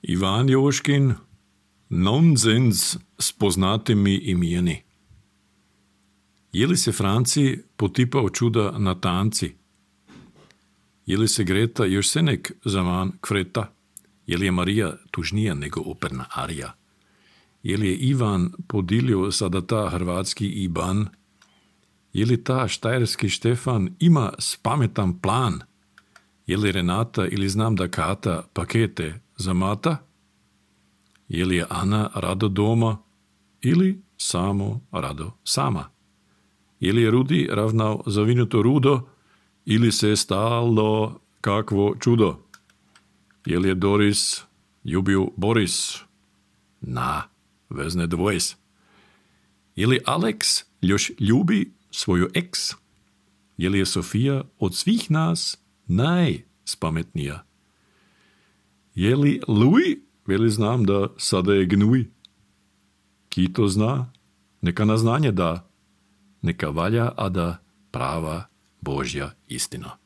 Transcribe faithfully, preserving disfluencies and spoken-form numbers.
Ivan Joškin, nonsens s poznatimi imeni. Je li se Franci potipao čuda na tanci? Je li se Greta još senek zaman kveta? Je li je Marija tužnija nego operna arija? Je li je Ivan podilio sada ta hrvatski Iban? Je li ta štajerski Štefan ima spametan plan? Je li Renata ili znam da Kata pakete zamata? Je li je Ana rado doma ili samo rado sama? Je li je Rudi ravnao zavinuto rudo ili se stalo kakvo čudo? Je li je Doris ljubio Boris? Na, vezne dvojs. Je li Alex još ljubi svoju eks? Je li je Sofija od svih nas najspametnija? Je li Louis? Veli znam da sada je gnuj. Kito zna, neka na znanje da, neka valja, a da prava Božja istina.